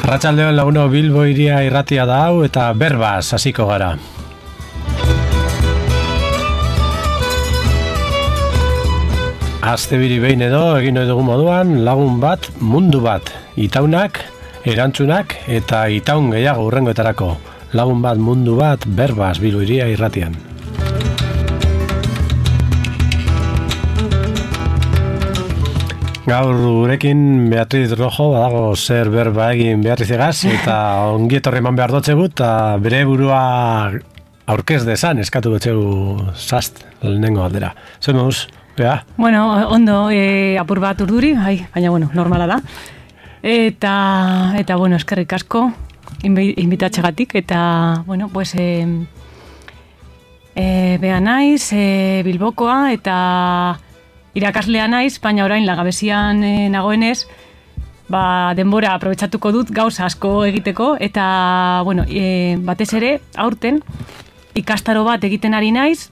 Arratsaldeon laguno, Bilbo hiria irratia da hau eta berbaz hasiko gara. Astebiri behin edo egin ohi dugun moduan, lagun bat, mundu bat, itaunak, erantzunak eta itaun gehiago hurrengoetarako. Lagun bat, mundu bat, berbaz Bilbo hiria irratian. Gaur gurekin Beatriz Rojo badago zer berba egin Beatrizegaz eta ongi etorri eman behar dotzegut eta bere burua aurkez dezan eskatu dotxegu zast lehenengo aldera. Zer moduz, Bea? Bueno, ondo, apur bat urduri, baina bueno, normala da. Eta bueno, eskerrik asko inbitatxegatik eta bueno, pues Bea naiz, Bilbokoa eta irakaslea naiz, baina orain Langabezian nagoenez, denbora aprobetxatuko dut gauza asko egiteko, eta, bueno, batez ere, aurten, ikastaro bat egiten ari naiz,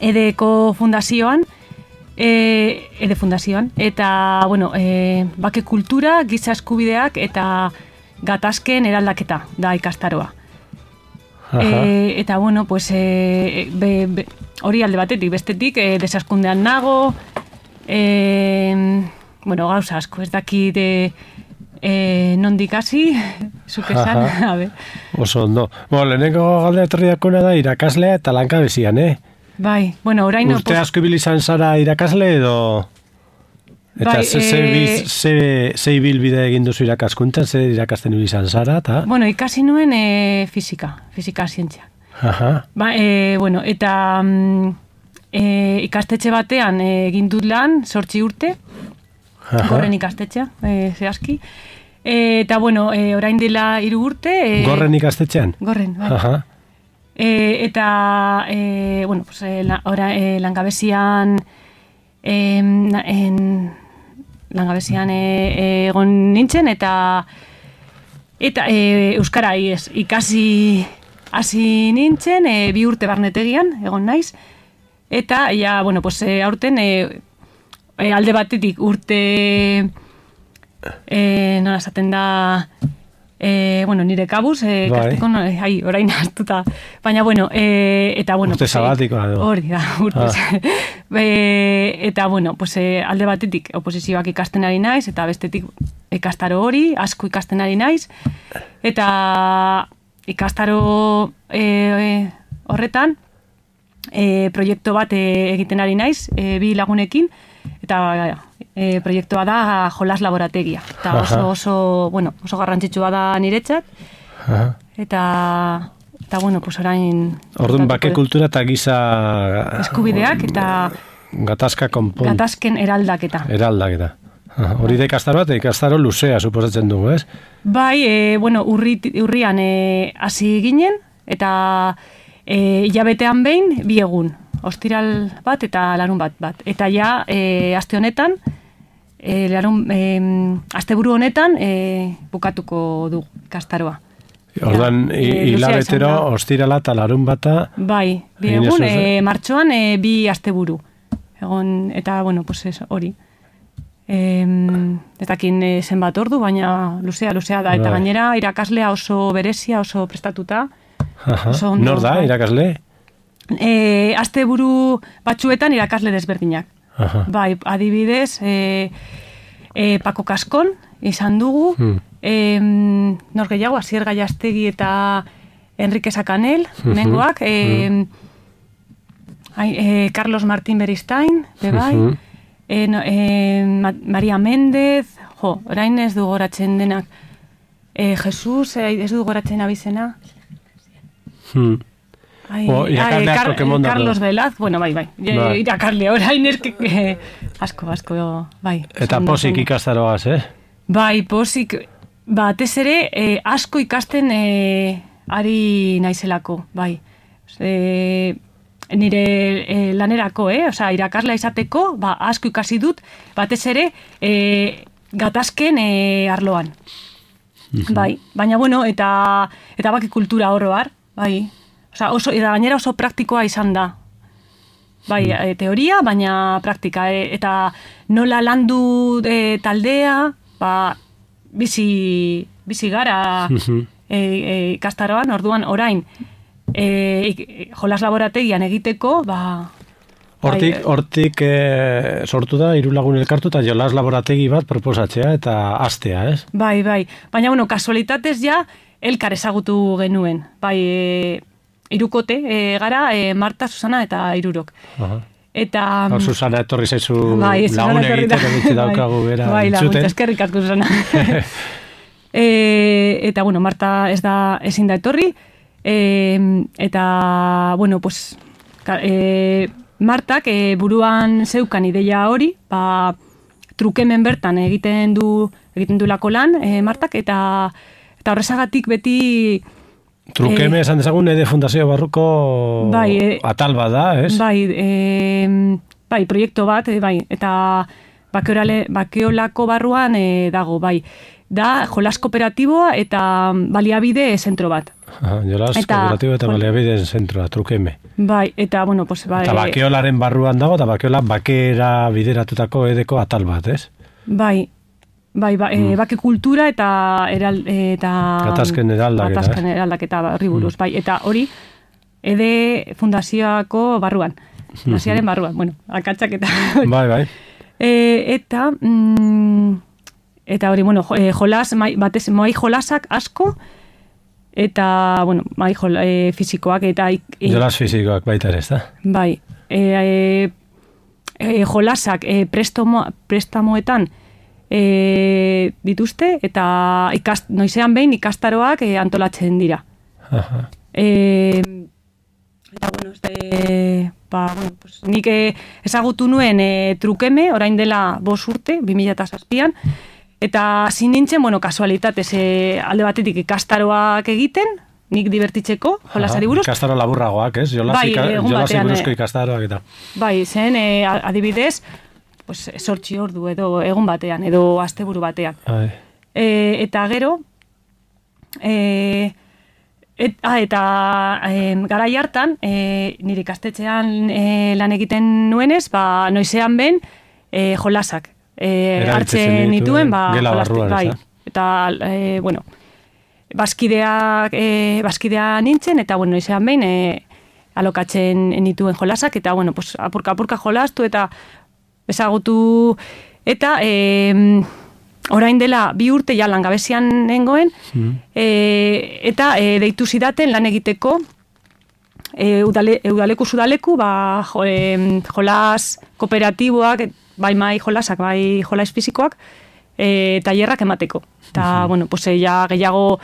Edeko fundazioan, Ede fundazioan, eta, bueno, bake kultura, giza eskubideak, eta gatazken eraldaketa da ikastaroa. Eta, bueno, pues, hori alde batetik, bestetik, desaskundean nago, bueno, gauza asko, ez dakit nondik hasi, zuk esan, a ber. Oso ondo. Bueno, lehenengo galde etorriakona da irakaslea eta Langabezian, Bai, bueno, orain... Urte asko ibili izan zara irakasle edo... Eta ze ibilbide egin duzu irakaskuntan, ze irakasten ibili izan zara, eta... Bueno, ikasi nuen fizika zientziak. Bueno, eta ikastetxe batean egin dut lan, 8 urte, Gorren ikastetxea, zehazki. Eta, bueno, orain dela 3 urte... Gorren ikastetxean? Gorren, bai. Eta, bueno, pues, Langabezian... Langabezian egon nintzen, eta euskara ikasi hasi nintzen, 2 urte barnetegian egon naiz, eta ja, bueno, pues, aurten alde batetik urte nola esaten da, bueno, nire kabuz, kasteko, orain hartuta, baina, bueno, eta, bueno, urte sabatikoa edo. Hori da, urte eta, bueno, pues, alde batetik oposizioak ikasten ari naiz, eta bestetik ikastaro hori, asko ikasten ari naiz, eta ikastaro horretan proiektu bat egiten ari naiz, 2 lagunekin, eta proiektua da jolas laborategia. Eta oso garrantzitsua da niretzat, eta bueno, pues orain... Orduan, bake kultura eta giza... eskubideak eta... Gatazken eraldaketa. Hori da ikastaro bat, ikastaro luzea, suposatzen dugu, ez? Bai, bueno, urrian hasi ginen, eta hilabetean behin 2 egun. Ostiral bat eta larun bat. Eta ja, aste honetan, asteburu honetan, bukatuko du ikastaroa. Orduan, hilabetero, ostirala eta larun bata... Bai, 2 egun, martxoan 2 asteburu. Eta, bueno, pues hori. Ez dakin zenbat ordu, baina luzea da. Eta gainera, irakaslea oso berezia, oso prestatuta. Nor da, irakasle? Asteburu batzuetan irakasle desberdinak. Bai, adibidez, Pako Kaskon izan dugu, nor gehiago, Asier Gallastegi eta Enrique Sacanel, mengoak, Carlos Martín Beristain, bebai, Maria Méndez, orain ez du goratzen denak, Jesus, ez du goratzen abizena, Carlos Velaz, bueno, bai. Irakarle orain asko, bai. Eta pozik ikastaroaz, Bai, pozik, batez ere, asko ikasten ari naizelako, bai. Nire lanerako, osea, irakaslea izateko, asko ikasi dut, batez ere, gatazken arloan. Bai, baina, bueno, eta baki kultura oroar, bai. Osea, eta gainera oso praktikoa izan da. Bai, teoria, baina praktika. Eta nola landu taldea, bizi bizi gara ikastaroan, orduan orain jolas laborategian egiteko, Hortik sortu da, 3 lagun elkartu eta jolas laborategi bat proposatzea eta hastea, ez? Bai. Baina, kasualitatez ja, elkar ezagutu genuen. Bai, 3 gara, Marta, Susana eta 3. Eta... Susana etorri zaizu lagun egiteko bitzi daukagu bera. Bai, laguntza, eskerrik asko, Susana. Eta, Marta ezin da etorri. Eta, pues... Martak buruan zeukan ideia hori, trukemen bertan egiten du lako lan, Martak, eta horrezagatik beti... Trukeme esan dezagun Ede Fundazio Barruko atal bat da, ez? Bai, proiektu bat, eta bakeolako barruan dago, da jolas kooperatiboa eta baliabide zentro bat. Jolas kooperatiboa eta baliabide zentroa, Trukeme. Bai, eta, Eta bakeolaren barruan dago, eta bakeola bakera bideratutako edeko atal bat, ez? Bai, bake kultura eta gatazken eraldaketa barri buruz, eta hori Ede Fundazioako barruan, fundazioaren barruan, akatsak eta... Bai. Eta hori, jolas, batez, mai jolasak asko, eta, mai fizikoak, eta... Jolas fizikoak baita ere, ez da? Bai, jolasak prestamoetan dituzte, eta noizean behin ikastaroak antolatzen dira. Eta, nik ezagutu nuen Trukeme, orain dela 5 urte, 2007an, eta zin nintzen, kasualitatez, alde batetik ikastaroak egiten, nik divertitzeko, jolasari buruz. Ikastaro laburragoak, ez? Jolasi buruzko ikastaroak eta. Bai, zen, adibidez, 8 ordu edo egun batean, edo asteburu batean. Eta gero, eta garai hartan, nire ikastetxean lan egiten nuenez, noizean ben jolasak hartzen nituen, gela barruan, eta, bazkidea nintzen, eta, noizean ben alokatzen nituen jolasak, eta, apurka jolastu, eta ezagutu, eta orain dela 2 urte ja langabezian nengoen, eta deitu zidaten lan egiteko udaleku, jolas kooperatiboak, bai mai jolasak, bai jolas fizikoak, tailerrak emateko. Eta, ja gehiago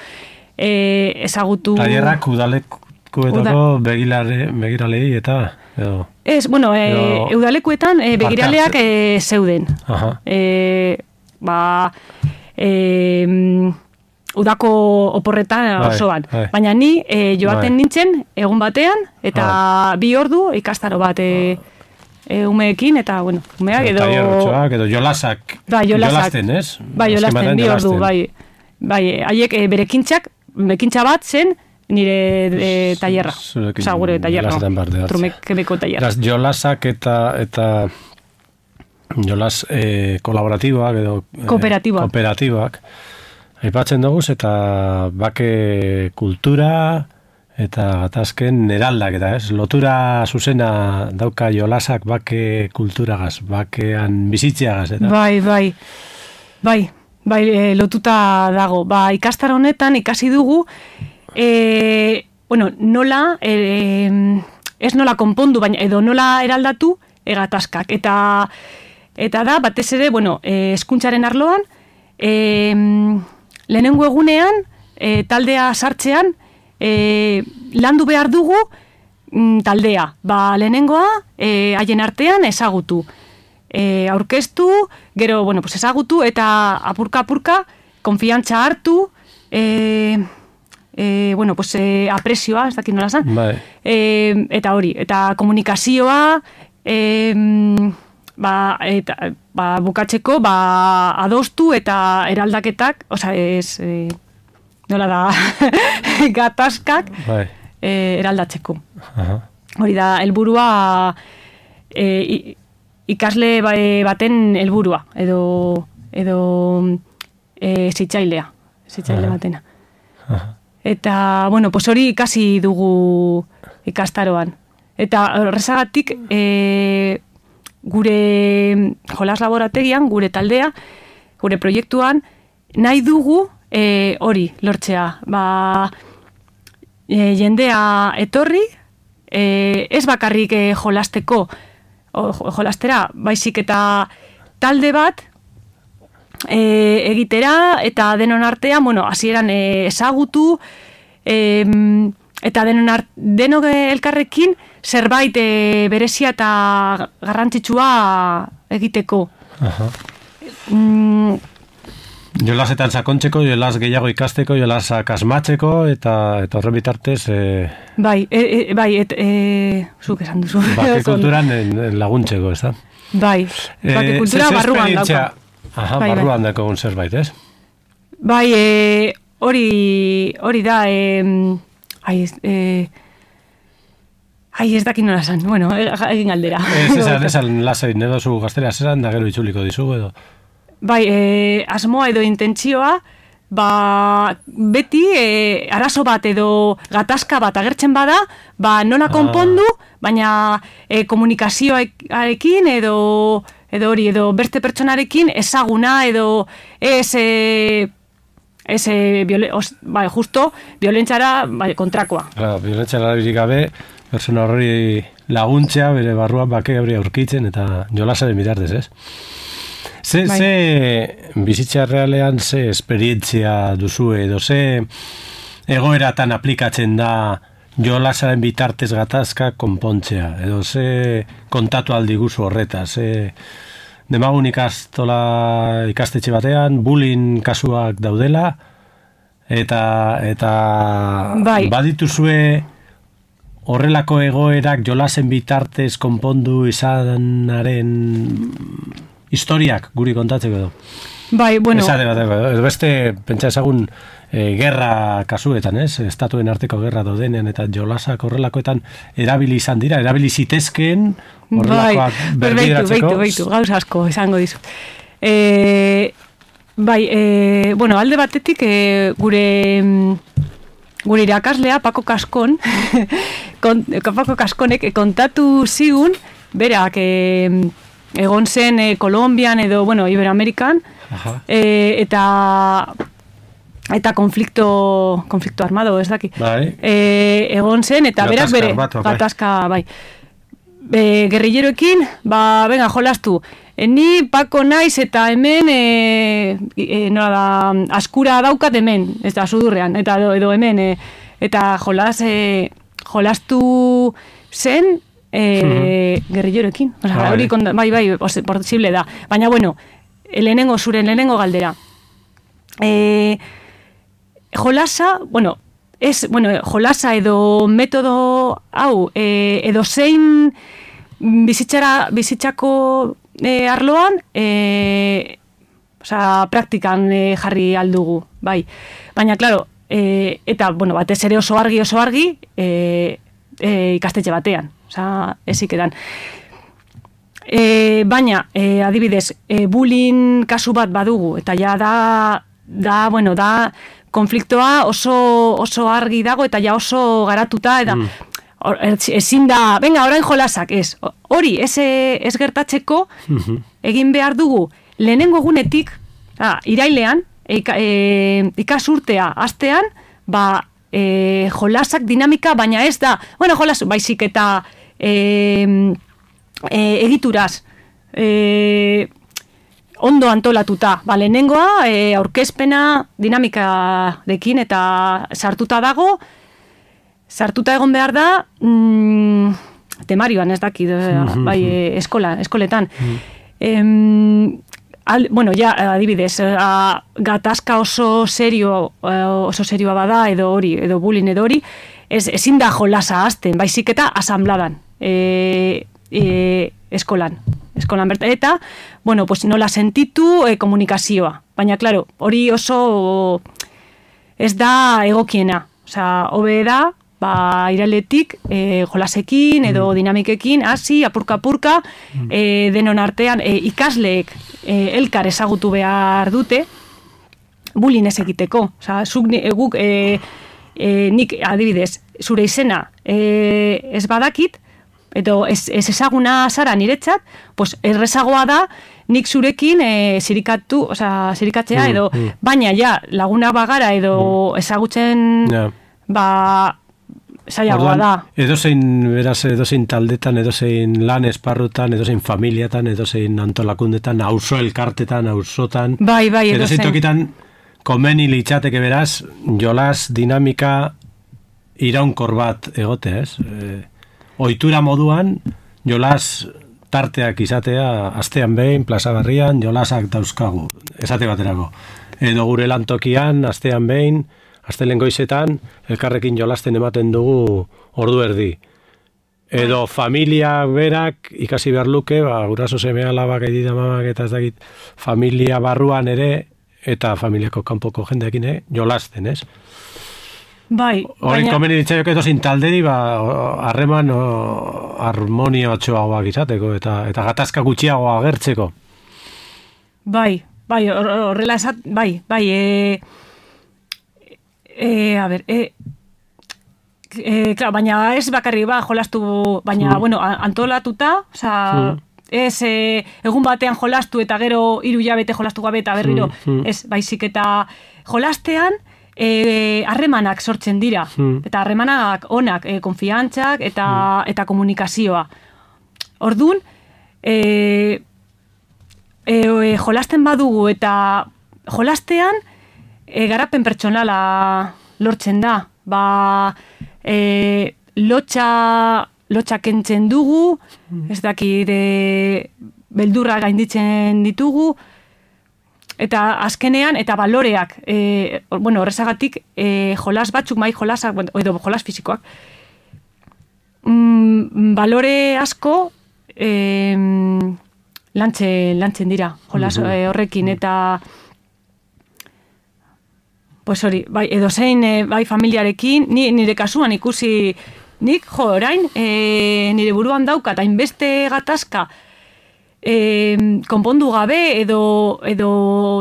ezagutu... Tailerrak udalekuetako begiralei eta... Ez, udalekuetan begiraleak zeuden. Udako oporretan osoan. Baina ni joaten nintzen egun batean, eta 2 ordu ikastaro bat umeekin, eta, umeak edo... Tailerrotxoak edo jolasak. Jolasten, ez? Bai, jolasten, 2 ordu, bai. Haiek bekintza bat zen, nire tailerra. Gure tailerra. Trumekemeko tailerra. Jolasak eta jolas kolaboratiboak edo kooperatiboak aipatzen dugu, eta bake kultura eta gatazken eraldak, eta ez? Lotura zuzena dauka jolasak bake kulturagaz, bakean bizitzeagaz, eta? Bai, lotuta dago. Ikastaro honetan ikasi dugu, nola, ez nola konpondu, baina edo nola eraldatu gatazkak. Eta da, batez ere, hezkuntzaren arloan, lehenengo egunean, taldea sartzean, landu behar dugu taldea. Lehenengoa, haien artean ezagutu. Aurkeztu, gero, ezagutu, eta apurka, konfiantza hartu, apresioa, ez dakit nola zan. Eta hori, eta komunikazioa, bukatzeko, adostu eta eraldaketak, nola da, gatazkak eraldatzeko. Hori da, helburua ikasle baten helburua, edo zitzailea. hezitzaile batena. Eta, bueno, pues hori ikasi dugu ikastaroan. Eta horrezagatik, gure jolas laborategian, gure taldea, gure proiektuan, nahi dugu hori lortzea. Jendea etorri, ez bakarrik jolastera, baizik eta talde bat egitera, eta denon artean, bueno, hasieran ezagutu, eta denok elkarrekin zerbait berezia eta garrantzitsua egiteko. Jolasetan sakontzeko, jolas gehiago ikasteko, jolasak asmatzeko, eta horren bitartez... Bai, zuk esan duzu. Bake kulturan laguntzeko, ez da? Bai, bake kultura barruan dauka. Barruan daukagun zerbait, ez? Bai, hori da... ez dakit nola esan, bueno, egin galdera. Esan lasain edo zu gaztera zesan, da gero itzuliko dizugu edo. Bai, asmoa edo intentsioa, beti arazo bat edo gatazka bat agertzen bada, nola konpondu, baina komunikazioarekin edo beste pertsonarekin ezaguna edo justo violentziara kontrakoa. Violentziara birik gabe, persona horri laguntzea, bere barruan bake hori aurkitzen, eta jolasaren bitartez, ez? Ze bizitza realean ze esperientzia duzu edo ze egoeratan aplikatzen da jolasaren bitartez gatazka konpontzea, edo ze kontatu aldi guzu horretaz, demagun ikastetxe batean, bullying kasuak daudela, eta badituzue horrelako egoerak jolasen bitartez konpondu izanaren historiak guri kontatzeko edo. Bai, bueno. Edo beste, pentsa ezagun, gerra kasuetan, ez? Estatuen arteko gerra daudenean eta jolasak horrelakoetan erabili izan dira, erabili zitezkeen horrelakoak berbideratzeko. Beitu, gauza asko esango dizu. Bueno, alde batetik gure irakaslea, Pako Kaskon, Pako Kaskonek kontatu zigun, berak egon zen Kolombian edo, bueno, Iberoamerikan, eta konflikto armado, ez daki. Egon zen, eta berak bere gatazka, bai. Gerrilleroekin, venga, jolastu. Ni Pako naiz eta hemen askura daukat hemen, ez da, sudurrean, eta edo hemen, eta jolastu zen gerrilleroekin. Hori, bai, posible da. Baina, bueno, zure lehenengo galdera. Jolasa, jolasa edo metodo hau, edo zein bizitzako arloan, praktikan jarri aldugu, bai. Baina, klaro, eta, batez ere oso argi, ikastetxe batean. Ezik edan. Baina, adibidez, bullying kasu bat badugu, eta ja da konfliktoa oso argi dago, eta ja oso garatuta, eta ezin da, venga, orain jolasak, ez. Hori, ez gertatzeko, egin behar dugu, lehenengo egunetik, irailean, ikasurtea hastean, jolasak dinamika, baina ez da, jolas, baizik eta egituraz, ondo antolatuta. Lehenengoa, aurkezpena dinamikarekin eta sartuta dago, sartuta egon behar da, temarioan, ez daki, bai, eskoletan. Adibidez, gatazka oso serioa bada, edo bullying edo hori, ezin da jolasa hasten, baizik eta asambladan, eskolan bertan. Eta, nola sentitu komunikazioa. Baina, klaro, hori oso ez da egokiena. Hobe da, irailetik jolasekin edo dinamikekin, hasi, apurka, denon artean ikasleek elkar ezagutu behar dute, bullying ez egiteko. Osa, guk, nik adibidez, zure izena ez badakit, edo ez ezaguna zara niretzat, pues errezagoa da nik zurekin zirikatzea edo, baina ja laguna bagara edo ezagutzen zailagoa da. Edozein taldetan, edozein lan esparrutan, edozein familiatan, edozein antolakundetan, auzo elkartetan, auzotan. Bai, edozein tokitan komeni litzateke beraz, jolas dinamika iraunkor bat egote, ez? Ohitura moduan, jolas tarteak izatea, astean behin, plazagarrian, jolasak dauzkagu, esate baterako. Edo gure lantokian, astean behin, astelen goizetan, elkarrekin jolasten ematen dugu ordu erdi. Edo familia berak ikasi behar luke, guraso seme alabak edita mamak eta ez dakit, familia barruan ere, eta familiako kanpoko jendeekin jolasten, ez? Bai, horren komeni ditzaioke dozin talderi, harreman harmonia batxoagoak izateko, eta gatazka gutxiagoa agertzeko. Bai, horrela esat, bai, a ber, claro, baina ez bakarri jolastu, baina, bueno, antolatuta, oza, ez egun batean jolastu eta gero 3 hilabete jolastu gabe eta berriro, ez, baizik eta jolastean, harremanak sortzen dira, eta harremanak onak, konfiantzak eta komunikazioa. Orduan, jolasten badugu eta jolastean garapen pertsonala lortzen da. Lotxa kentzen dugu, ez dakit beldurra gainditzen ditugu, eta azkenean, eta baloreak, horrezagatik, jolas batzuk, jolasak, edo jolas fisikoak, balore asko lantzen dira, jolas horrekin, eta pues hori, edo zein, familiarekin, nire kasuan ikusi, nik, orain, nire buruan daukat, hainbeste gatazka, konpondu gabe edo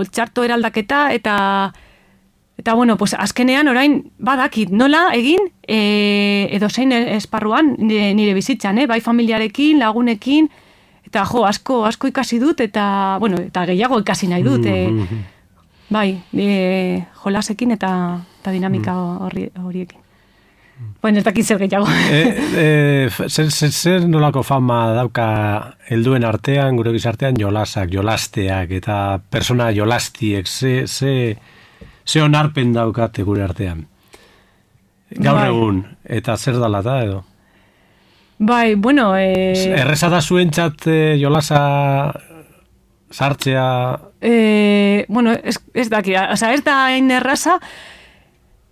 txarto eraldaketa eta bueno, pues azkenean orain badakit nola egin edo zein esparruan nire bizitzan, bai familiarekin, lagunekin eta asko ikasi dut eta bueno, eta gehiago ikasi nahi dut bai, jolasekin eta dinamika horiekin. Bueno, ez dakit zer gehiago. Zer nolako fama dauka helduen artean, gure gizartean, jolasteak eta persona jolastiek, ze onarpen daukate gure artean? Gaur egun, eta zer dalata edo? Bai, bueno... Erreza da zuentzat jolasa sartzea? Bueno, ez daki, ez da hain erraza,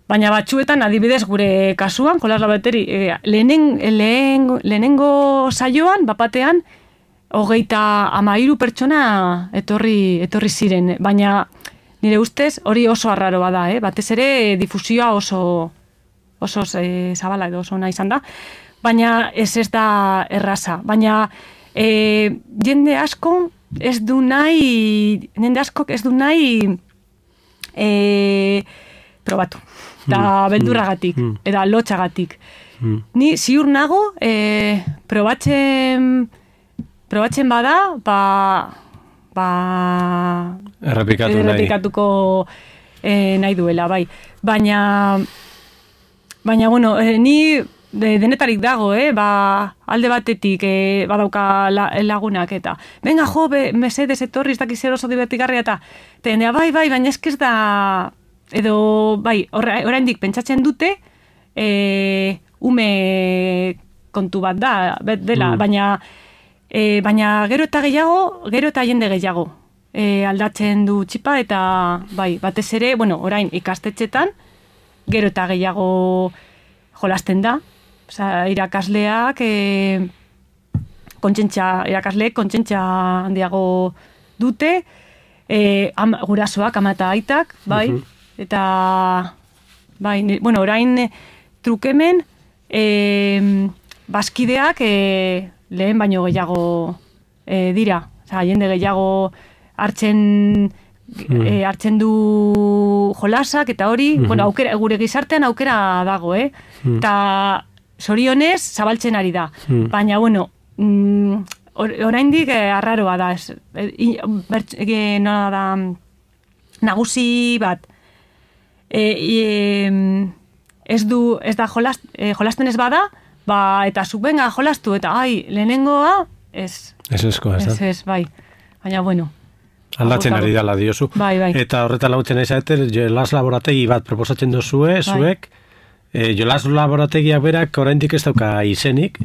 baina batzuetan, adibidez gure kasuan, jolas labateri, lehenengo saioan, bapatean, 33 pertsona etorri ziren, baina nire ustez hori oso arraroa da, batez ere difusioa oso zabala edo oso nahi izan da, baina ez da erraza, baina jende askok ez du nahi probatu. Eta beldurragatik, eta lotxagatik. Ni ziur nago, probatzen bada, errepikatuko nahi duela, bai. Baina, bueno, ni denetarik dago, alde batetik badauka lagunak eta venga jo, mesedez etorri, ez dakiz oso divertigarria eta bai, baina ez da edo, bai, oraindik pentsatzen dute ume kontu bat dela, baina gero eta jende gehiago aldatzen du txipa eta bai, batez ere, bueno, orain ikastetxetan gero eta gehiago jolasten da, irakasleak kontsentza handiago dute, gurasoak, ama eta aitak, bai, eta bai, bueno, orain trukemen bazkideak lehen baino gehiago dira, jende gehiago hartzen hartzen du jolasak eta hori, bueno, aukera, gure gizartean aukera dago, eta zorionez zabaltzen ari da. Baina, bueno, oraindik arraroa da, nola da, nagusi bat, ez da jolasten ez bada, eta zuk benga jolastu, eta lehenengoa, ez. Ez, bai. Baina, bueno. Aldatzen ari dala diozu. Bai. Eta horretan lautzen aizater, jolas laborategi bat proposatzen dozue, zuek, jolas laborategiak berak oraindik ez dauka izenik,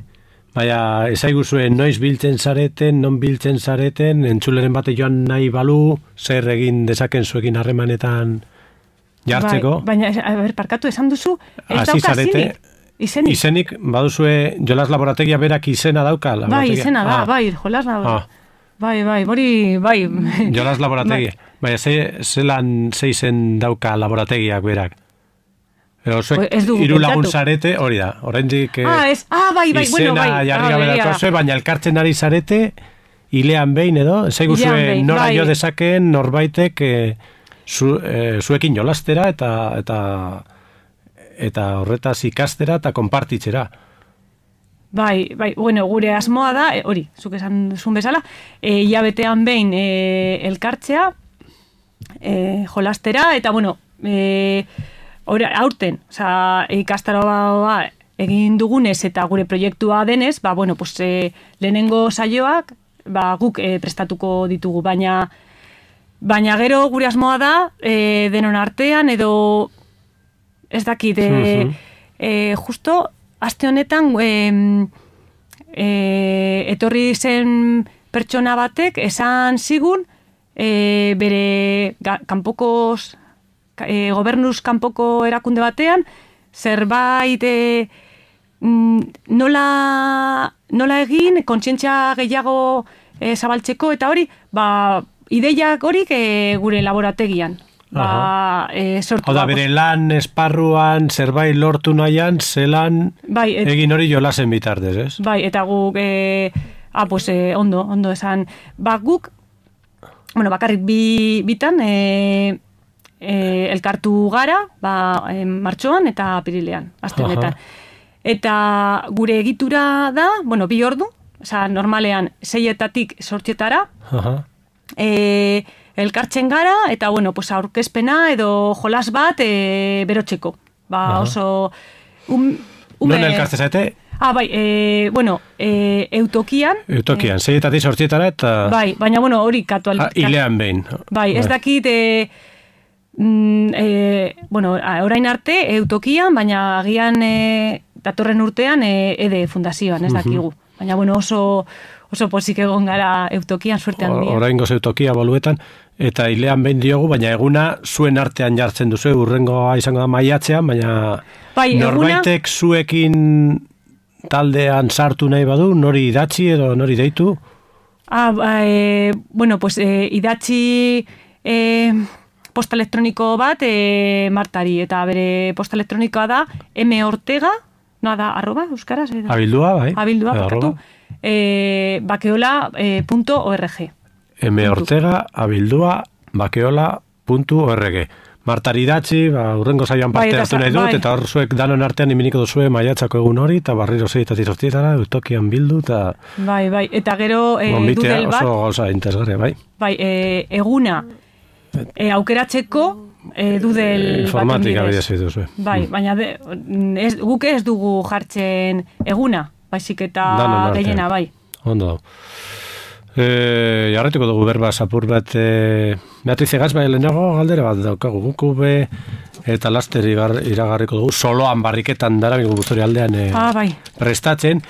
baina ezaiguzue noiz biltzen zareten, non biltzen zareten, entzuleren bate joan nahi balu, zer egin dezaken zuekin harremanetan jartzeko. Baina, parkatu esan duzu, ez dauka izenik. Baduzue jolas laborategia berak izena dauka? Bai, izena da, jolas laborategia. Bai, hori, bai. Jolas laborategia. Baina, zelan zeizen dauka laborategiak berak? Hiru lagun zarete, hori da. Oraindik izena jarri gabe daukazue, baina elkartzen ari zarete, hilean behin edo, zaiguzue nora jo dezakeen norbaitek zuekin jolastera eta horretaz ikastera eta konpartitzera. Bai, bueno, gure asmoa da, hori, zuk esan duzun bezala, hilabetean behin elkartzea, jolastera, eta, bueno, aurten, ikastaroa egin dugunez eta gure proiektua denez, bueno, pues, lehenengo saioak, guk prestatuko ditugu, baina gero gure asmoa da, denon artean, edo ez dakit, justo, aste honetan etorri zen pertsona batek esan zigun bere kanpokos gobernuz kanpoko erakunde batean zerbait nola egin kontzientzia gehiago zabaltzeko eta hori ideiak horik gure laborategian. Hau da, bere lan esparruan zerbait lortu nahian, zelan egin hori jolasen bitartez, ez? Bai, eta guk, ondo esan, guk, bueno, bakarrik bitan, elkartu gara, martxoan eta apirilean, aste honetan. Eta gure egitura da, bueno, 2 ordu, normalean 6-etatik 8-etara, elkartzen gara, eta, bueno, pues, aurkezpena edo jolas bat berotzeko. Oso... Non elkartzen zaite? Bueno, eutokian. Eutokian, 6-etatik 8-etara eta... Bai, baina, bueno, hori katual... Hilean behin. Bai, ez dakit... bueno, orain arte eutokian, baina agian datorren urtean EDE fundazioan, ez dakigu. Baina, bueno, oso pozik egon gara eutokian, suerte handia. Oraingoz eutokia boluetan, eta hilean behin diogu, baina eguna zuen artean jartzen duzu, urrengoa izango da maiatzean, baina norbaitek zuekin taldean sartu nahi badu, nori idatzi edo nori deitu? Bueno, pues idatzi posta elektroniko bat Martari, eta bere posta elektronikoa da mortega, no da arroba, euskaraz? Abildua, bai. Abildua, bakatu. Bakeola.org mortega, abildua, bakeola.org Martari datzi, urrengo saioan parte hartu nahi dut, eta hor zuek danon artean iminiko duzue maiatzako egun hori, eta barriro 6-etatik 8-etara, eutokian bildu, eta... Bai, eta gero dudel bat... Oso gauza interesgarria, bai. Bai, eguna aukeratzeko dudel bat informatika bidez duzue. Bai, baina guk ez dugu jartzen eguna, baizik eta gehiena, bai. Ondo. Jarretuko dugu berba zapur bat Beatriz Egaz, bai, lehenago galdera bat daukagu guku eta laster iragarriko dugu soloan barriketan dara guztori aldean prestatzen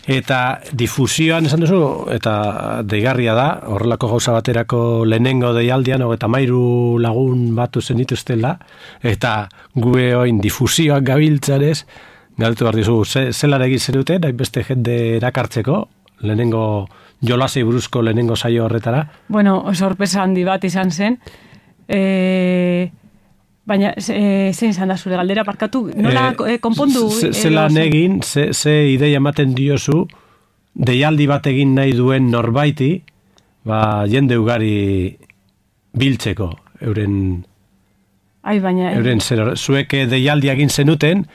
eta difusioan esan duzu eta deigarria da horrelako gauza baterako lehenengo deialdian 33 lagun batu zenituztela eta gue oin difusioak gabiltzarez galtu behar dizu zelan egin zenuten hainbeste jende erakartzeko lehenengo jolasei buruzko lehenengo saio horretara? Bueno, sorpresa handi bat izan zen. Baina, zein izan da zure galdera, parkatu? Nola konpondu? Zelan egin, ze ideia ematen diozu, deialdi bat egin nahi duen norbaiti, jende ugari biltzeko, euren zuek deialdia egin zenuten,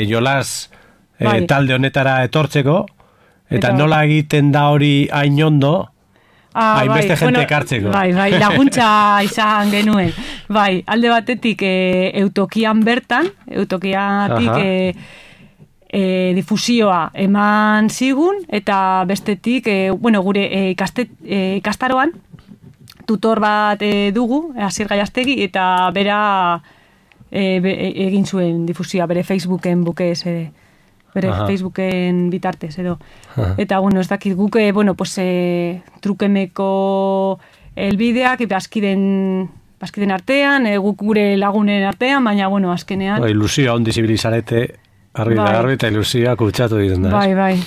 jolas talde honetara etortzeko, eta nola egiten da hori hain ondo, hainbeste jente ekartzeko. Bai, laguntza izan genuen. Bai, alde batetik Eutokian bertan, Eutokiatik difusioa eman zigun, eta bestetik, gure ikastaroan, tutor bat dugu, Asier Gaiastegi, eta bera egin zuen difusioa, bere Facebooken bukez bere Facebooken bitartez edo. Eta, ez dakit guk, trukemeko elbideak, bazkiden artean, guk gure lagunen artean, baina, azkenean... Ilusioa ondi zibilizarete, argi eta ilusioa kutsatu diren da. Bai.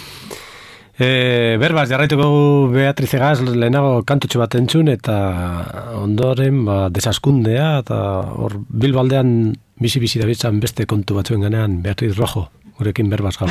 Berbaz, jarraituko Beatriz Egaz lehenago kantutxo bat entzun, eta ondoren desaskundea, eta hor Bilbaldean bizi dabitzan beste kontu batzuen ganean Beatriz Rojo, gurekin Berbaz gaur.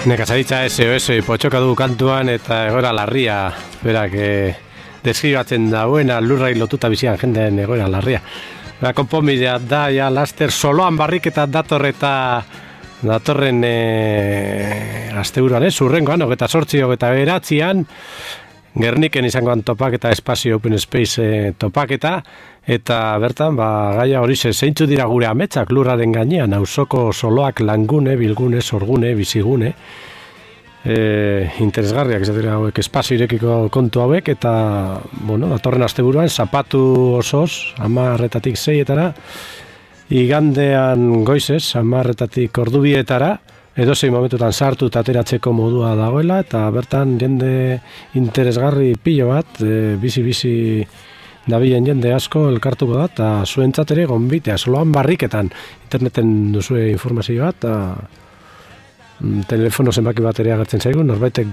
Nekazaritza SOS potxoka du kantuan eta egoera larria, berak deskribatzen dauena lurrai lotuta bizian jendeen egoera larria. Konponbidea da, ja, laster soloan barriketa datorren asteburuan, zurrengoan, 28, 29, Gerniken izangoan topaketa, espazio Open Space topaketa, eta bertan, gaia hori zeintzu dira gure ametsak lurraren gainean, auzoko soloak langune, bilgune, sorgune, bizigune, interesgarriak, ez dira hauek, espazio irekiko kontu hauek, eta, datorren asteburuan, zapatu osoz, 10:00-6:00, igandean goizez, 10:00 ordubietara, edozein momentutan sartu eta ateratzeko modua dagoela, eta bertan jende interesgarri pilo bat, bizi dabilen jende asko elkartuko da, eta zuentzat ere gonbitea, soloan barriketan, interneten duzue informazioa, eta telefono zenbaki bat ere agertzen zaigu, norbaitek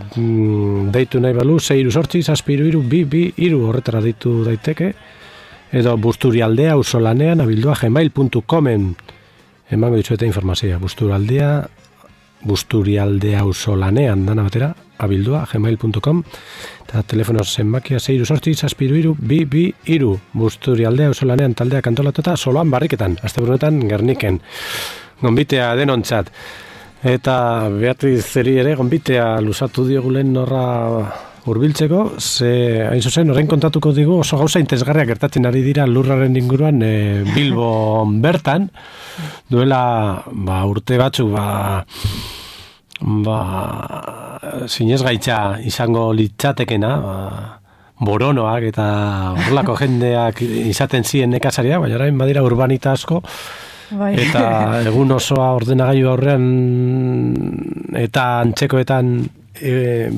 deitu nahi balu, 668-732-222 horretara deitu daiteke, edo Busturialdea auzolanean abildua gmail.comen emango ditzueta informazioa, Busturialdea auzolanean dana batera, abildua gmail.com eta telefono zenbakia 668-732-222 Busturialdea auzolanean taldeak antolatuta soloan barriketan, asteburunetan Gerniken gonbitea denontzat. Eta Beatrizeri ere gonbitea luzatu diogulen norra hurbiltzeko, ze hain zuzen orain kontatuko digu oso gauza interesgarriak gertatzen ari dira lurraren inguruan Bilbo bertan, duela urte batzu sinesgaitza izango litzatekena, boronoak eta horrelako jendeak izaten ziren nekazaria, baina orain badira urbanita asko. Bai. Eta egun osoa ordenagailu aurrean eta antzekoetan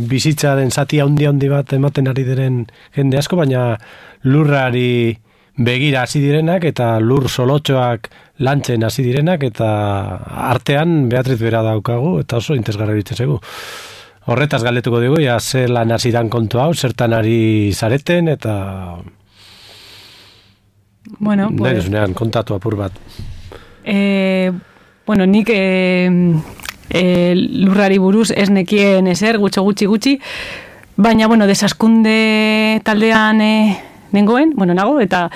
bizitza den zati handi bat ematen ari diren jende asko, baina lurrari begira hasi direnak eta lur solotxoak lantzen hasi direnak eta artean Beatriz bera daukagu eta oso interesgarri zaigu. Horretaz galdetuko dugu, ja ze lan hasi dan kontu hau, zertan ari zareten eta bueno, pues kontatu apur bat. Nik lurrari buruz ez nekien ezer, gutxi, baina, desaskunde taldean nago, eta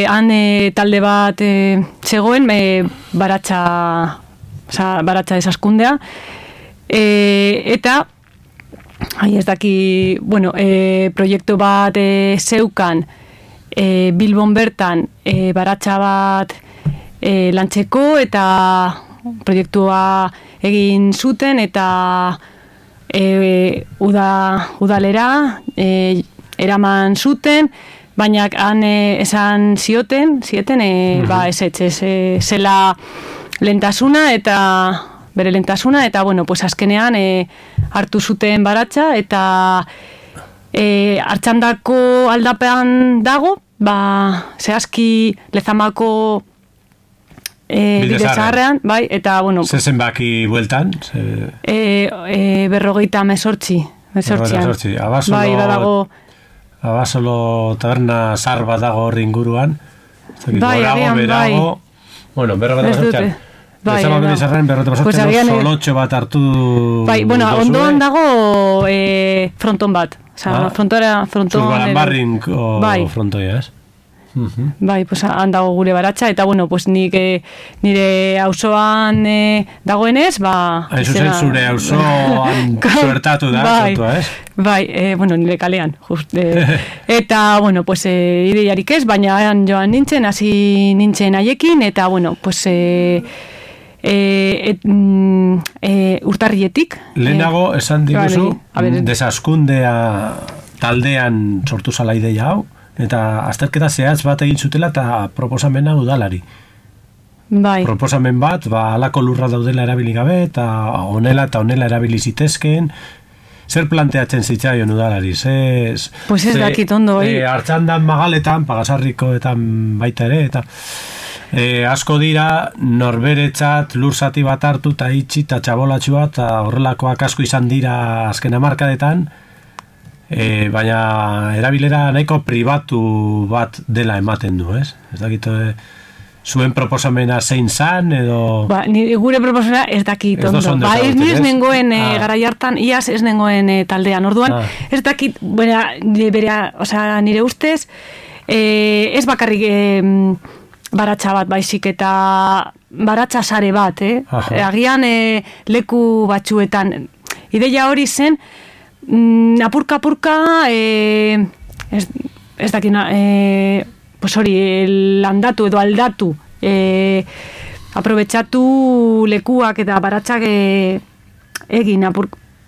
han talde bat zegoen baratxa desaskundea, eta ez daki, proiektu bat zeukan Bilbon bertan baratxa bat lantzeko eta proiektua egin zuten eta udalera eraman zuten, baina han esan zieten zela lentasuna eta bere lentasuna eta azkenean hartu zuten baratxa eta Artxandako aldapean dago, zehazki Lezamako bidezaharrean, bai, eta, zezen baki bueltan? 58. Bai, badago Abasolo taberna zar bat dago hor inguruan. Bai, berago. Bueno, berrogeita solotxo bat hartu. Bai, ondoan dago fronton bat. Zurbaran barrin frontoia, ez? Bai, han dago gure baratxa, eta nik nire auzoan dagoenez, hain zuzen zure auzoan zuertatu da, kontua, ez? Bai, nire kalean, just. Eta, ideiarik ez, baina joan nintzen, hasi nintzen haiekin, eta, urtarrietik. Lehenago esan diguzu, desaskundea taldean sortu zala ideia hau, eta azterketa zehaz bat egin zutela eta proposamena udalari. Bai. Proposamen bat, alako lurra daudela erabili gabe, eta honela erabili zitezkeen, zer planteatzen zitzaion udalari? Ez dakit ondo, Artxandan magaletan, Pagasarrikoetan baita ere, eta asko dira norberetzat lur zati bat hartu eta itxi eta txabolatxua eta horrelakoak asko izan dira azken hamarkadetan, baina erabilera nahiko pribatu bat dela ematen du, ez? Ez dakit zuen proposamena zein zan, edo... Gure proposamena ez dakit ondo. Ez nengoen garai hartan, iaz ez nengoen taldean. Orduan, ez dakit, nire ustez, ez bakarrik baratxa bat baizik eta baratxa sare bat, agian leku batzuetan. Ideia hori zen, apurka, ez dakina, landatu edo aldatu, aprobetxatu lekuak eta baratxak egin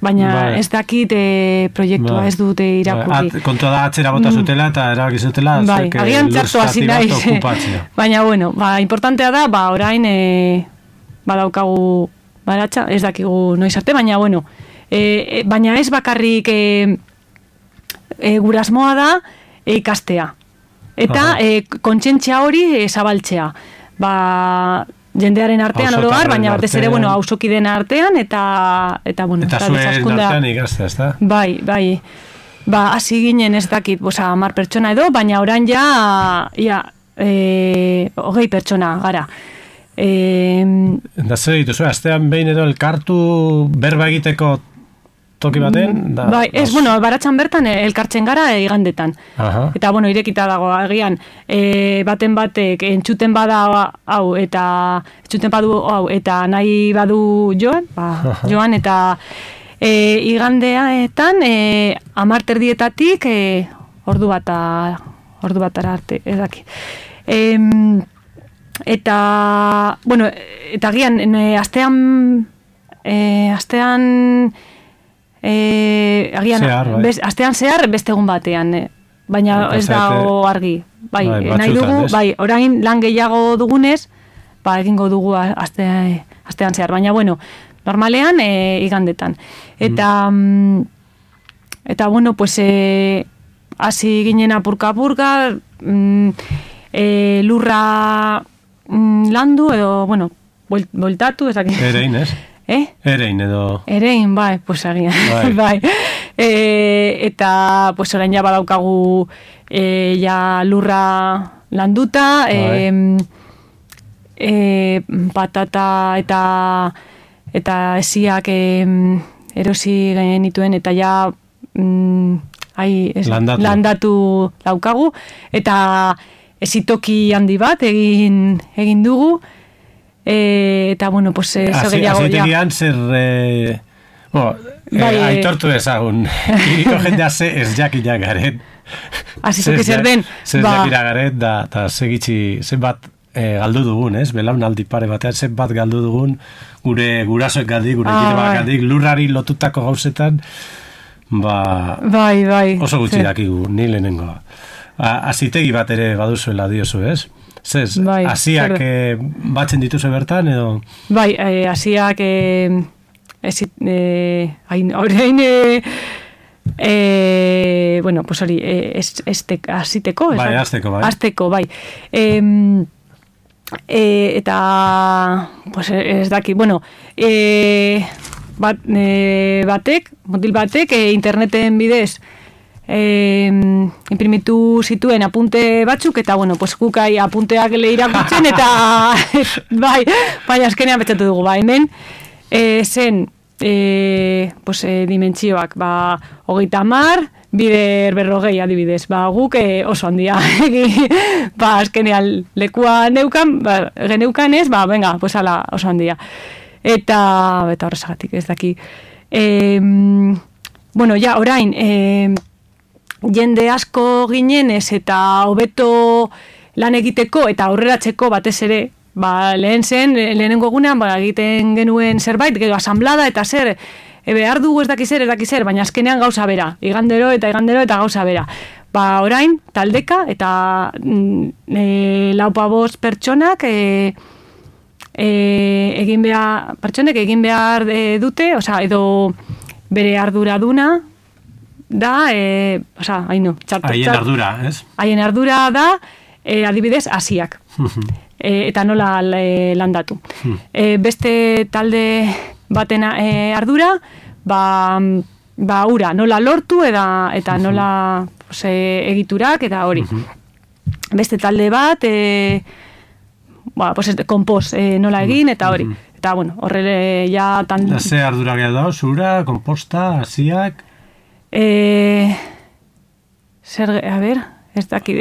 baina ez dakit proiektua ez dute irakurri. Kontua da atzera bota zutela eta erabaki zutela agian txartu hasi naiz. Baina, bueno, importantea da, orain badaukagu baratxa, ez dakigu noiz arte, baina, bueno, baina ez bakarrik gurasmoa da ikastea. Eta kontzientzia hori zabaltzea. Jendearen artean oro har, baina batez ere, bueno, hausokideen artean, eta bueno, eta zuen artean ikastea, ez da? Bai. Hasi ginen ez dakit, 10 pertsona edo, baina orain ja 20 pertsona gara. Da zer dituzu, astean behin edo elkartu berba egiteko toki baten? Bai, bueno, baratxan bertan elkartzen gara igandetan. Eta, bueno, irekita dago agian, baten batek entzuten bada hau, eta entzuten badu hau, eta nahi badu joan, eta igandeaetan 10:30 ordu batara arte, ez daki. Eta, bueno, eta agian, astean zehar beste egun batean, baina ez da argi. Bai, nahi dugu, orain lan gehiago dugunez, egingo dugu astean zehar, baina bueno, normalean igandetan. Eta bueno, pues hasi ginen apurka, lurra landu edo, bueno, bueltatu, ez dakit. Erein, ez? Erein edo... Erein, pues agian. Bai. Eta, pues orain ja badaukagu lurra landuta, patata eta esiak erosi genituen, eta ja landatu daukagu, eta esitoki handi bat egin dugu, eta, bueno, pues eso gehiago ja. Azitegian zer... aitortu ezagun. Iriko jendea ez jakinak garen. Azituki zer den. Zer jakira garen, eta zenbat galdu dugun, ez? Belaunaldi pare batean zenbat galdu dugun, gure gurasoek gandik, gure kide gandik, lurrari lotutako gauzetan, bai. Oso gutxi dakigu, ni lehenengoa. Azitegi bat ere baduzuela diozu, ez? Zez, asiak batzen dituzu bertan, edo? Bai, asiak orain bueno, pues hori aziteko, bai, azteko, bai. Eta pues ez daki, bueno, motil batek interneten bidez imprimitu zituen apunte batzuk, eta, bueno, pues gukai apunteak irakurtzen, eta bai, azkenean betxatu dugu, hemen zen pues dimentsioak, 30, bider 40 adibidez, guk oso handia azkenean lekua geneukan ez, venga, pues ala oso handia, eta horrezagatik ez daki. Bueno, ja, orain jende asko ginenez eta hobeto lan egiteko eta aurreratzeko batez ere, lehenengo egunean egiten genuen zerbait, gero asamblada eta zer, behar dugu ez daki zer, baina azkenean gauza bera, igandero eta gauza bera. Orain, taldeka eta 4-5 pertsonak egin behar dute, edo bere arduraduna da, haien ardura, ez? Haien ardura da, adibidez, asiak. Eta nola landatu. Beste talde baten ardura, ura, nola lortu eta nola egiturak eta hori. Beste talde bat, kompost nola egin eta hori. Eta, bueno, horrele ja... Ze ardura gehiago da, zura, komposta, asiak... ez dakit...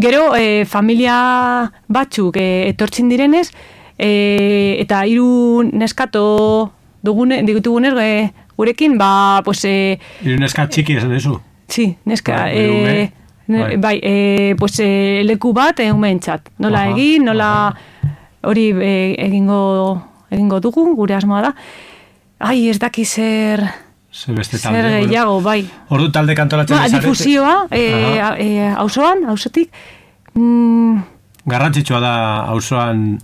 Gero, familia batzuk etortzen direnez, eta 3 neskato ditugunez gurekin, Hiru neska txiki esan dezu? Sí, neska... Bai, leku bat umeentzat. Nola egin, nola... Hori egingo dugu, gure asmoa da. ez daki zer beste talde. Zer gehiago, bai. Ordu talde kantolatzen zarete. Difusioa, auzotik. Garrantzitsua da auzoan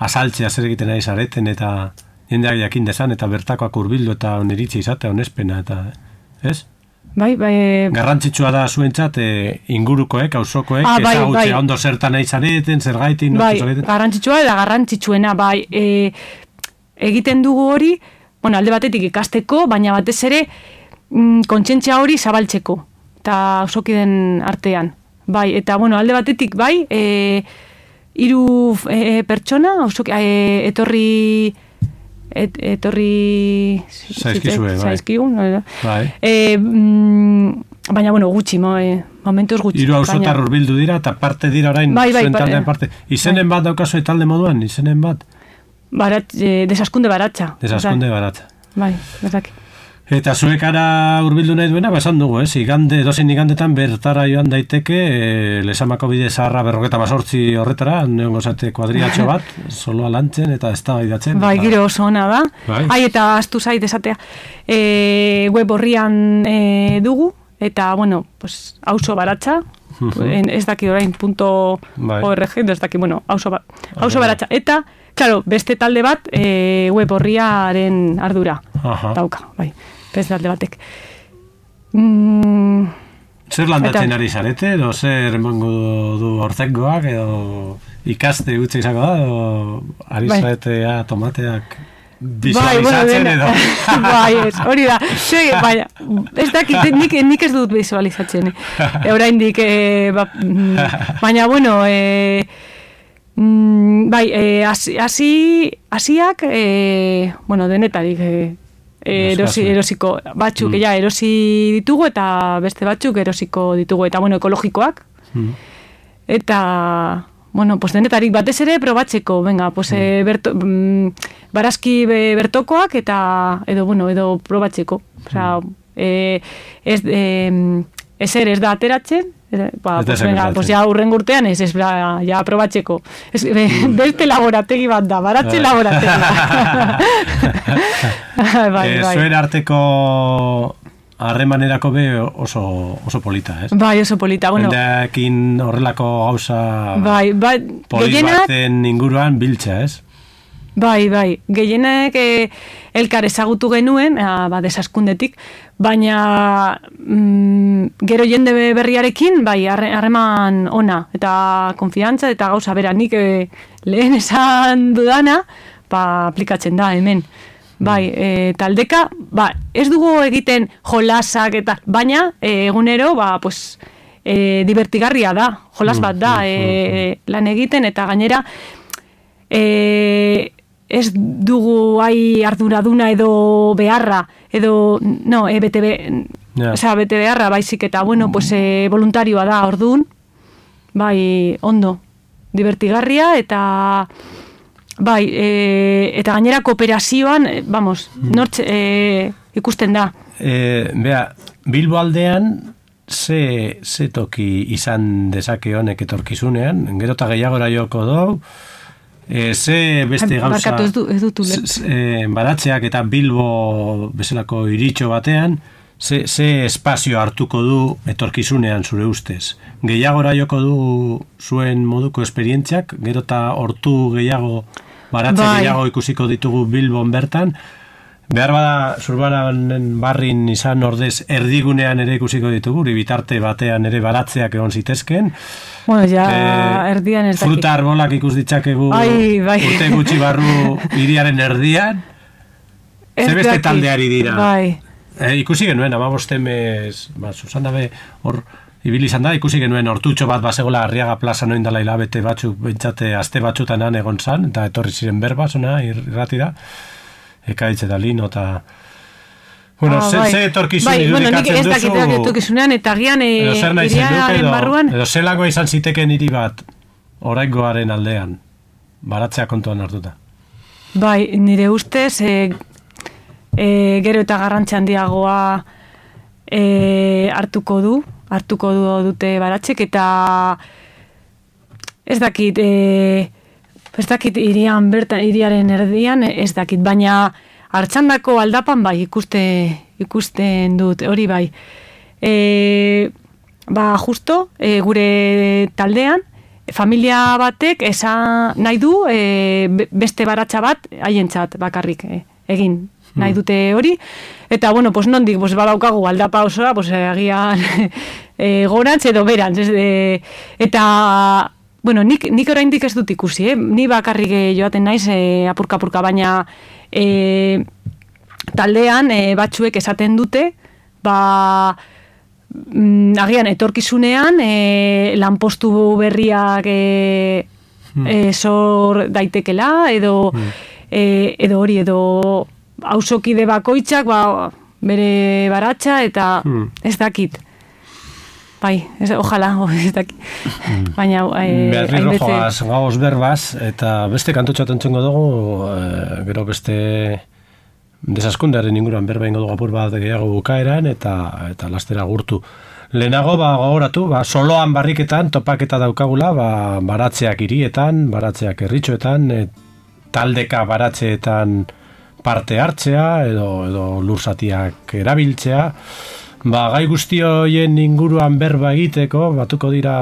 azaltzea zer egiten ari zareten eta jendeak jakin dezan eta bertakoak hurbildu eta oniritzi izatea onespena eta, ez? Bai. Garrantzitsua da zuentzat ingurukoek, auzokoek, ezagutzea ondo zertan nahi zareten, zer gaitin, zareten. Garrantzitsua eta garrantzitsuena, bai. Egiten dugu hori, alde batetik ikasteko, baina batez ere kontzientzia hori zabaltzeko, eta auzokideen artean. Bai, eta alde batetik, bai, 3 pertsona, etorri zaizkigun, bai. Baina, gutxi, momentuz gutxi. 3 auzotar hurbildu dira, eta parte dira orain zuen taldean parte. Izenen bat daukazu talde moduan, izenen bat? Desaskunde baratza. Bai, bezaki. Eta zuek ara hurbildu nahi duena, esan dugu, dozein igandetan bertara joan daiteke, Lesamako bide zaharra 58 horretara, neongo zate kuadriatxo bat, soloa lantzen eta ez da baidatzen. Bai, giro oso ona da. Bai. Eta astu zait esatea, web horrian dugu, eta, auzo baratza, ez daki orain .org, ez daki, auzo baratza. Eta, claro, beste talde bat web horriaren ardura dauka, bai. Beste talde batek. Zer landatzen ari zarete, edo zer emango du ortzengoak, edo ikaste gutxe izango da, edo ari zaretea tomateak visualizatzen edo? Bai, hori da. Ez dakit, nik ez dut visualizatzen. Oraindik, baina, bai, hasiak, denetarik erosiko batzuk, erosi ditugu eta beste batzuk erosiko ditugu, eta, ekologikoak. Eta, denetarik batez ere probatzeko, barazki bertokoak eta, edo probatzeko. Ezer ez da ateratzen, ja urren urtean ez ja probatzeko. Beste laborategi bat da, baratze laborategi. Zuen arteko harremanerako be oso polita, ez? Bai, oso polita. Hendeakin horrelako gauza polit baten inguruan biltza, ez? Bai, gehienek elkar ezagutu genuen, desaskundetik, baina gero jende berriarekin, bai, harreman ona, eta konfiantza, eta gauza bera, nik lehen esan dudana, aplikatzen da, hemen. Bai, taldeka, ez dugu egiten jolasak, eta, baina egunero, divertigarria da, jolas bat da, lan egiten, eta gainera, ez dugu arduraduna edo beharra, edo, bete beharra, baizik eta, voluntarioa da, orduan, bai, ondo, divertigarria, eta, bai, eta gainera kooperazioan, ikusten da. Bilbo aldean, ze toki izan dezake honek etorkizunean, gero eta gehiagora joko dugu, ze beste gauza baratzeak eta Bilbo bezalako iritxo batean, ze espazio hartuko du etorkizunean zure ustez? Gehiagora joko du zuen moduko esperientziak, gero eta hortu gehiago, baratze gehiago ikusiko ditugu Bilbon bertan, behar bada Zurbaranen barrin izan ordez erdigunean ere ikusiko ditugu, bitarte batean ere baratzeak egon zitezken. Erdian ez dakik. Fruta arbolak ikus ditzakegu urte gutxi barru hiriaren erdian. Ze beste taldeari dira. Ikusi genuen, 15 mes, Susana be, hor ibili izan da, ikusi genuen hortutxo bat basegola Arriaga plaza noindala hilabete batzuk, bentsate aste batzutan han egon zan, eta etorri ziren berba, zona, irratira. Ekaitze da lino, eta... ze etorkizun irudikatzen duzu... Ez dakiteak etorkizunean, eta gian iriaren barruan... Edo zelagoa izan ziteken hiri bat, oraingoaren aldean, baratzea kontuan hartuta. Bai, nire ustez, gero eta garrantzi handiagoa hartuko dute baratzek, eta ez dakit iriaren erdian, ez dakit, baina Artxandako aldapan bai ikusten dut, hori bai. Justo, gure taldean, familia batek nahi du beste baratxa bat haientzat bakarrik egin nahi dute hori. Eta, bueno, pues nondik, pues badaukagu aldapa osoa, pues agian gorantz edo berantz. Eta, bueno, nik oraindik ez dut ikusi, ni bakarrik joaten naiz apurka-apurka, baina taldean batzuek esaten dute, agian etorkizunean lanpostu berriak sor daitekela edo hori edo auzokide bakoitzak bere baratxa eta ez dakit. Bai, ojalá, ez dakit. Baina Beatriz Rojoaz gauz berbaz eta beste kantutxat entzungo dugu, gero beste desaskundearen inguruan berba ingo dugu apur bat gehiago bukaeran eta lastera gurtu. Lehenago gogoratu, soloan barriketan topaketa daukagula, baratzeak hirietan, baratzeak herritxoetan, taldeka baratzeetan parte hartzea edo lursatiak erabiltzea. Gai guzti horien inguruan berba egiteko, batuko dira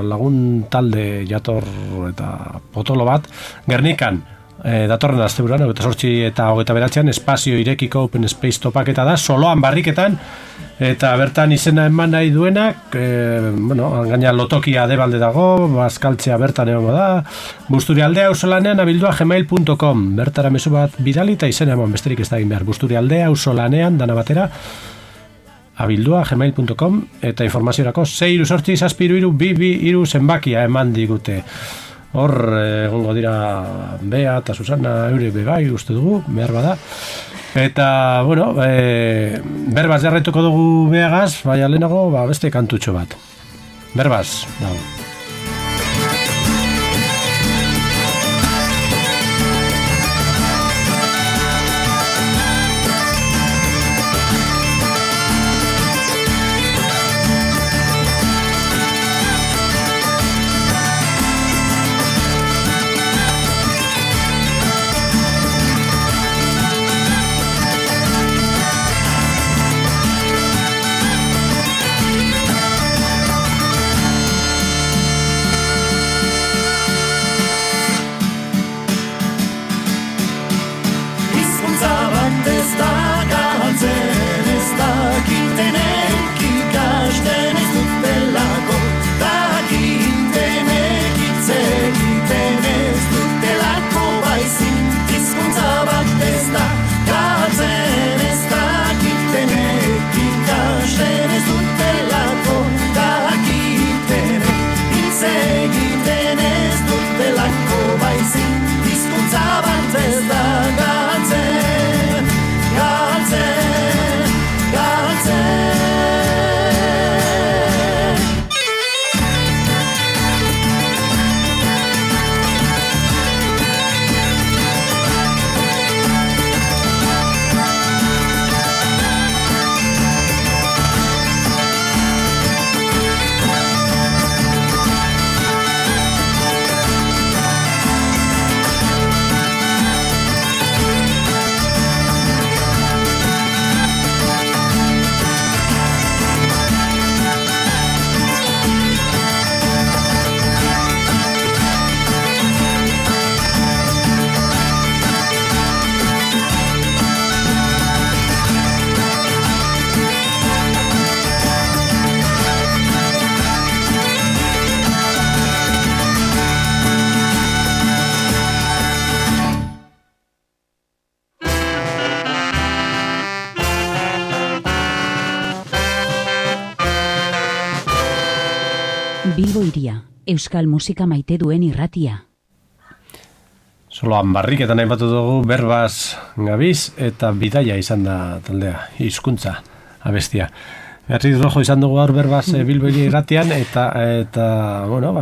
lagun talde jator eta potolo bat, Gernikan, datorren asteburuan, 28 eta 29 espazio irekiko Open Space topaketa da, soloan barriketan, eta bertan izena eman nahi duenak, gaina lotokia debalde dago, bazkaltzea bertan egongo da, Busturialdea auzolanean abildua@gmail.com, bertara mezu bat bidali eta izena eman besterik ez da egin behar, Busturialdea auzolanean dana batera, abildua@gmail.com, eta informaziorako 6-8-7-2-2-2 zenbakia eman digute. Hor, egongo dira Bea eta Susana eure bebai uste dugu, behar bada. Eta, bueno, berbaz jarraituko dugu Beagaz, baina lehenago beste kantutxo bat. Berbaz, dago. Bilbo Hiria, euskal musika maite duen irratia. Soloan barriketan aipatu dugu berbaz gabiz eta bidaia izan da taldea, hizkuntza abestia. Beatriz Rojo izan dugu gaur berbaz Bilbo Hiria irratian eta bueno,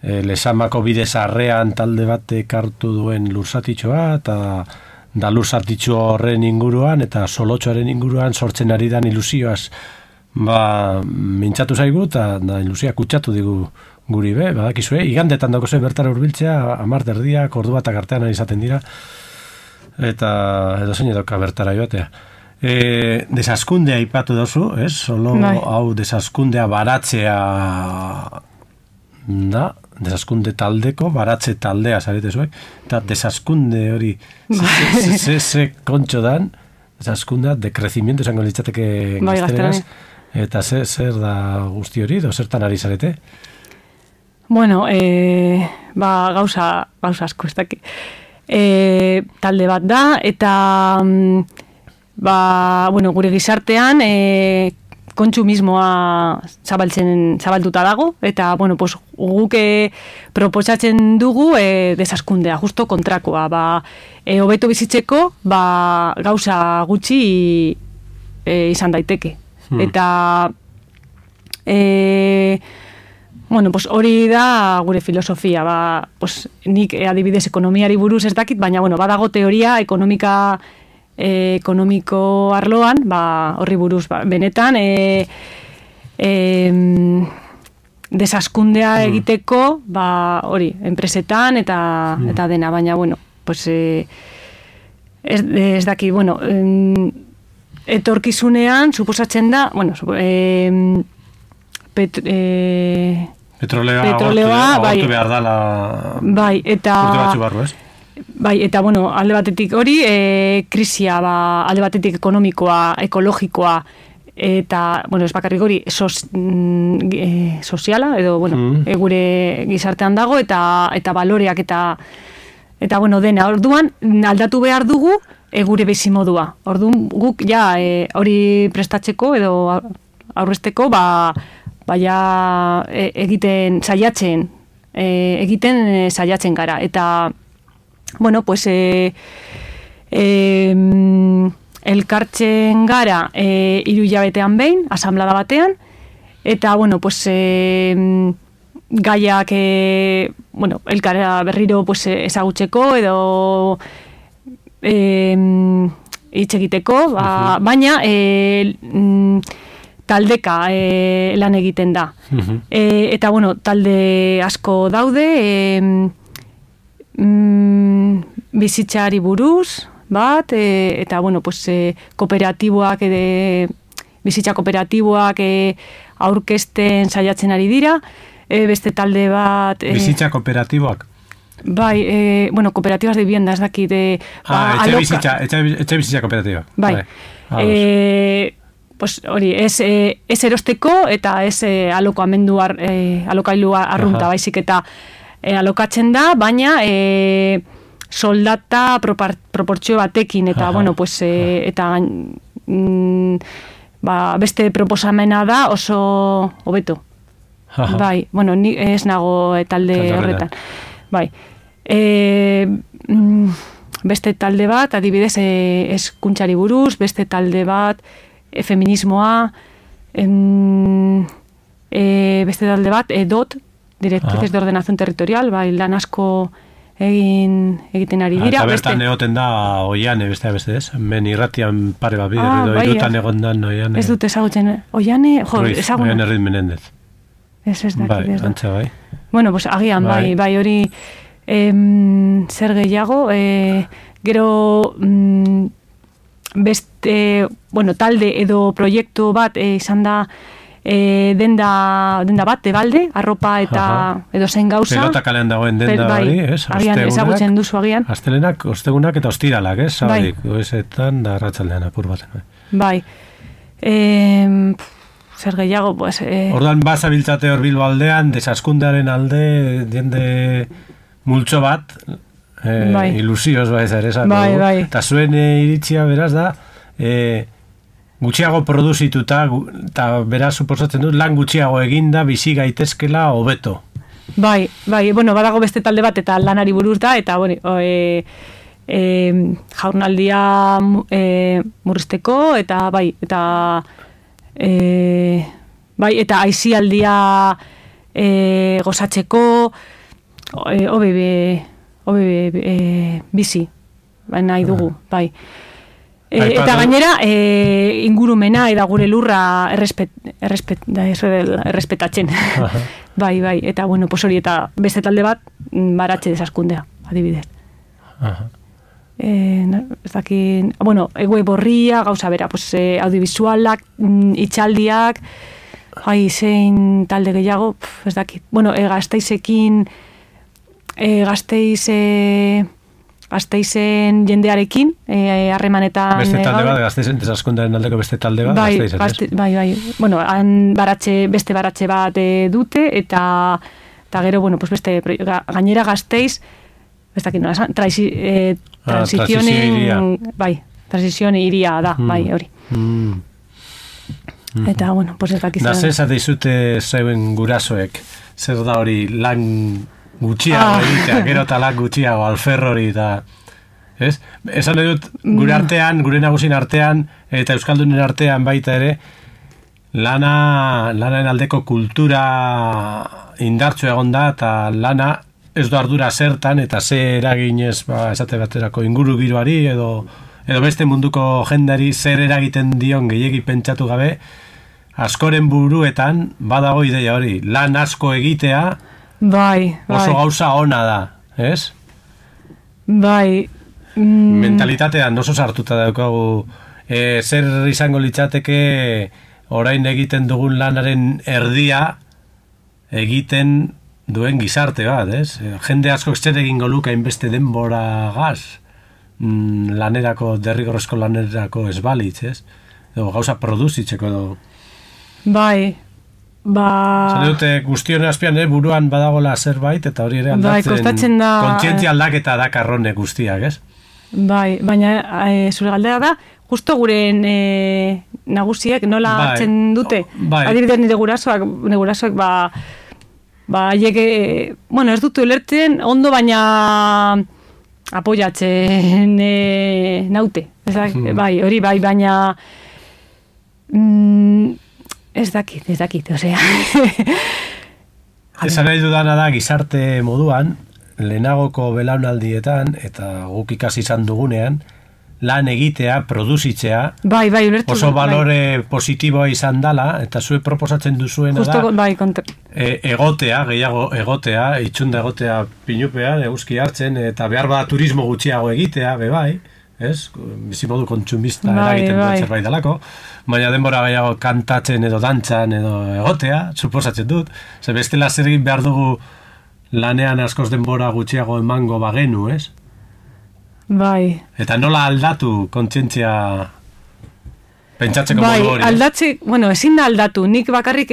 Lesamako bidezarrean talde batek hartu duen lursatitxoa eta da lursatitxo horren inguruan eta solotxoaren inguruan sortzen ari dan ilusioaz mintzatu zaigu eta ilusia kutsatu digu guri badakizue, igandetan dago bertara hurbiltzea, 10 erdiak, ordu batak artean izaten dira. eta edo zein edoka bertara joatea. Desaskundea ipatu dozu, ez? Solo hau desaskundea baratzea da, desaskunde taldeko, baratze taldea zarete zuek, eta desaskunde hori ze kontxo dan, desaskundea, de crecimiento esango litzateke gazteleraz, eta zer da guzti hori, zertan ari zarete? Bueno, gauza asko ez daki. Talde bat da, eta gure gizartean kontsumismoa zabalduta dago, eta guk proposatzen dugu desaskundea, justo kontrakoa. Hobeto bizitzeko gauza gutxi izan daiteke. Eta hori da gure filosofia. Nik adibidez ekonomiari buruz ez dakit, baina badago teoria ekonomiko arloan, horri buruz, benetan, desaskundea egiteko, hori, enpresetan eta dena, baina, ez daki, etorkizunean, suposatzen da, petroleoa agortu behar dala eta urte batzu barru, ez? Eta alde batetik hori, krisia, alde batetik ekonomikoa, ekologikoa, eta, ez bakarrik hori, soziala, edo, gure gizartean dago, eta baloreak, eta dena, orduan, aldatu behar dugu, gure bizimodua. Orduan, guk, hori prestatzeko, edo aurrezteko, egiten saiatzen gara, eta elkartzen gara 3 hilabetean behin, asamblada batean, eta gaiak elkara berriro ezagutzeko edo hitz egiteko, baina taldeka lan egiten da. Eta talde asko daude, bizitzari buruz bat, eta kooperatiboak, bizitza kooperatiboak aurkezten saiatzen ari dira, beste talde bat... Bizitza kooperatiboak? Bai, kooperativas de vivienda, ez dakit... etxe bizitza kooperatiba. Bai. Hori, ez erosteko eta ez alokailua arrunta, baizik eta alokatzen da, baina soldata proportzio batekin, eta, eta beste proposamena da oso hobeto. Bai, ni ez nago talde horretan. Bai. Beste talde bat, adibidez, hezkuntzari buruz, beste talde bat, feminismoa, beste talde bat, DOT, Directrices de Ordenación Territorial, lan asko egiten ari dira. Eta bertan egoten da Oiane, beste ez? Men irratian pare bat bider, edo irutan egon dan Oiane. Ez dut ezagutzen, Oiane, ezagun. Oiane Ruiz Menendez. Ez dakit. Bai, antza bai. Agian, bai, hori zer gehiago, gero beste, talde edo proiektu bat izan da denda bat, balde, arropa eta edo zein gauza. Pelota kalean dagoen denda hori, ez? Agian, ezagutzen duzu agian. Astelenak, ostegunak eta ostiralak, ez? Zabadik, goizetan da arratsaldean apur baten. Bai. Zer gehiago, Ordan bazabiltzate hor Bilbo aldean, desaskundearen alde, jende multzo bat, ilusioz ere esako. Bai. Eta zuen iritzia beraz da, gutxiago produzituta, eta beraz suposatzen dut, lan gutxiago eginda, bizi gaitezkela hobeto. Bai, badago beste talde bat, eta lanari buruz da, eta, jaurnaldia murrizteko, eta, eta aisialdia gozatzeko, bizi, nahi dugu, bai. Eta gainera, ingurumena eta gure lurra errespetatzen. Bai, eta hori, eta beste talde bat, baratze desaskundea, adibidez. ez dakit, bueno, web horria, gauza bera, pues, audiovisualak, itxaldiak, zein talde gehiago, ez dakit. Bueno, Gasteizekin, Gasteizen jendearekin, harremanetan... Beste talde bat, Gasteizen desaskundearen aldeko beste talde bat, Gasteizen. Bai. Bueno, han beste baratxe bat dute, eta gero, bueno, pues beste, gainera Gasteiz, ez dakit nola, transizione iria da, bai, hori. Eta, bueno, pues ez dakit. Da, zezate izute zeuen gurasoek, zer da hori lan gutxiago egitea, gero eta lan gutxiago, alferro hori, eta... Ez? Esan dut, gure artean, gure nagusin artean, eta euskaldunen artean baita ere, lanaren aldeko kultura indartsu egon da, eta lana ez du ardura zertan, eta ze eraginez, esate baterako inguru giroari, edo beste munduko jendari zer eragiten dion gehiegi pentsatu gabe, askoren buruetan badago ideia hori, lan asko egitea, oso gauza ona da, ez? Bai. Mentalitatean oso sartuta daukagu, zer izango litzateke orain egiten dugun lanaren erdia egiten duen gizarte bat, ez? Jende asko zer egingo luke hainbeste denbora gaz, lanerako, derrigorrezko lanerako ez balitz, ez? Edo gauza produzitzeko edo... Bai, Zane dute guztion azpian buruan badagola zerbait, eta hori ere aldatzen, kontzientzia aldaketa da karrone guztiak, ez? Bai, baina zure galdera da, justo guren nagusiek nola hartzen dute, adibidez nire gurasoak haiek, bueno, ez dutu ulertzen ondo, baina apoiatzen naute, bai, hori bai, baina ez dakit, osea. Esan nahi dudana da, gizarte moduan, lehenagoko belaunaldietan, eta guk ikasi izan dugunean, lan egitea, produzitzea, ulertu, oso balore positiboa izan dala, eta zue proposatzen duzuena da, egotea, gehiago egotea, itxunda egotea pinupean, eguzki hartzen, eta behar bada turismo gutxiago egitea, bai, ez? Bizimodu kontsumista eragiten duen zerbait dalako, baina denbora gehiago kantatzen edo dantzan edo egotea, suposatzen dut, ze bestela zer egin behar dugu lanean askoz denbora gutxiago emango bagenu, ez? Bai. Eta nola aldatu kontzientzia pentsatzeko modu hori? Aldatze, bueno, ezin da aldatu, nik bakarrik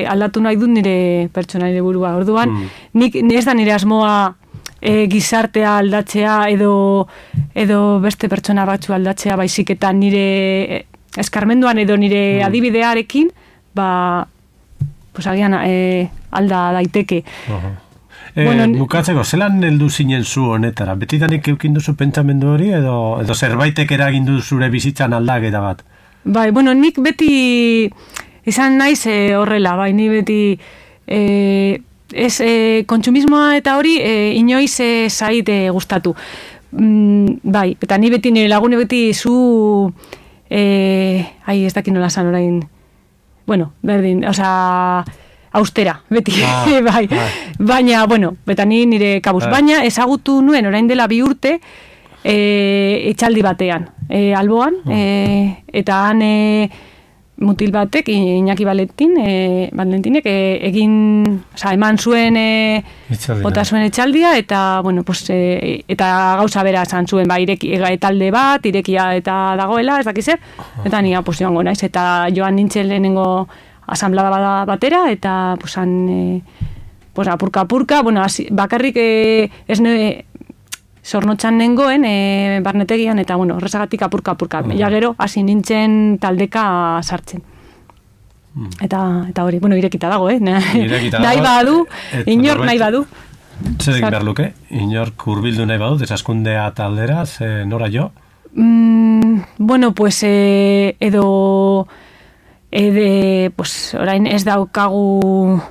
aldatu nahi dut nire pertsonaire burua, orduan, nik ez da nire asmoa gizartea aldatzea edo beste pertsona batzu aldatzea, baizik eta nire eskarmenduan edo nire adibidearekin, pues agian alda daiteke. Bukatzeko, zelan heldu zinen zu honetara? Betidanik eukin duzu pentsamendu hori edo zerbaitek eragin du zure bizitzan aldaketa bat? Bai, bueno, nik beti izan naiz horrela, bai, ni beti kontsumismoa eta hori inoiz zaite gustatu. Bai, eta ni beti nire lagune beti zu ez dakit nola zan orain, bueno, berdin, osea, austera, beti, bai. Baina, bueno, eta ni nire kabuz, baina ezagutu nuen orain dela 2 urte etxaldi batean, Alboan, eta han mutil batek, Iñaki Valentinek egin, eman zuen bota zuen etxaldia, eta, bueno, pues, eta gauza bera esan zuen, talde bat, irekia eta dagoela, ez dakizer, eta ni pues, joango naiz, eta joan nintzen lehenengo asamblada batera, eta pues, pues, apurka, bueno, bakarrik ez zornotxan nengoen barnetegian, eta bueno, horrezagatik apurka. Ja gero, hasi nintzen taldeka sartzen. Eta hori, bueno, irekita dago, nahi badu, inor nahi badu. Zer egin behar luke? Inork hurbildu nahi badu, desaskundea taldera, nora jo? Bueno, pues, pues, orain ez daukagu...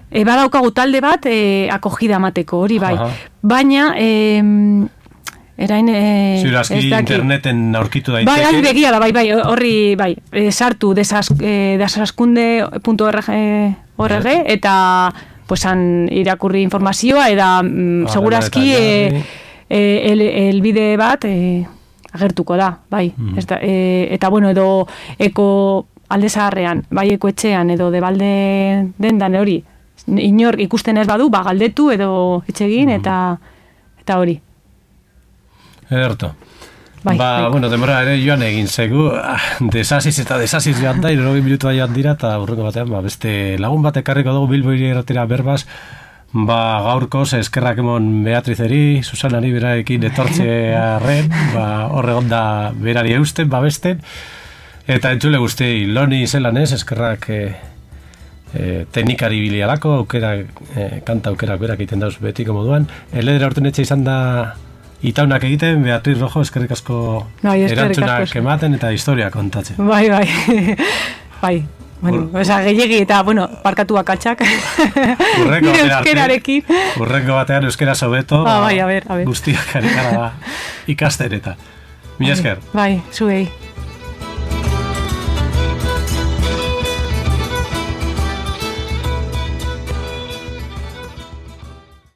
badaukagu talde bat akogida mateko, hori bai. Baina, erain... Ziurazki interneten aurkitu daiteke. Bai, hori begia da, bai, horri, bai, sartu desaskunde.org eta pues, irakurri informazioa, eta segurazki elbide bat agertuko da, bai. Eta bueno, edo eko alde zaharrean, bai eko etxean, edo debalde dendan hori, inor ikusten ez badu, galdetu edo itxegin, eta hori. Ederto. Bai. Bueno, demora ere joan egin zegu, desasiz joan da, 20 minutua joan dira, eta urrengo batean, beste lagun bat ekarriko dugu Bilbo irratira berbaz, gaurkoz eskerrak emon Beatrizeri, Susanari berarekin etortzearen, horre onda berari eusten, babesten, eta entzule guztiei, loni zelan ez, eskerrak teknikari bilialako, kanta aukerak berak egiten dauz betiko moduan. Eledera urten etxe izan da itaunak egiten, Beatriz Rojo, eskerrik asko erantzunak ematen eta historia kontatzen. Bai. Bueno, gehiegi eta, parkatu akatsak. Urrengo batean euskera sobeto, bai, a ver. Guztiak ari gara ikasten eta. Mila esker. Bai, zuei.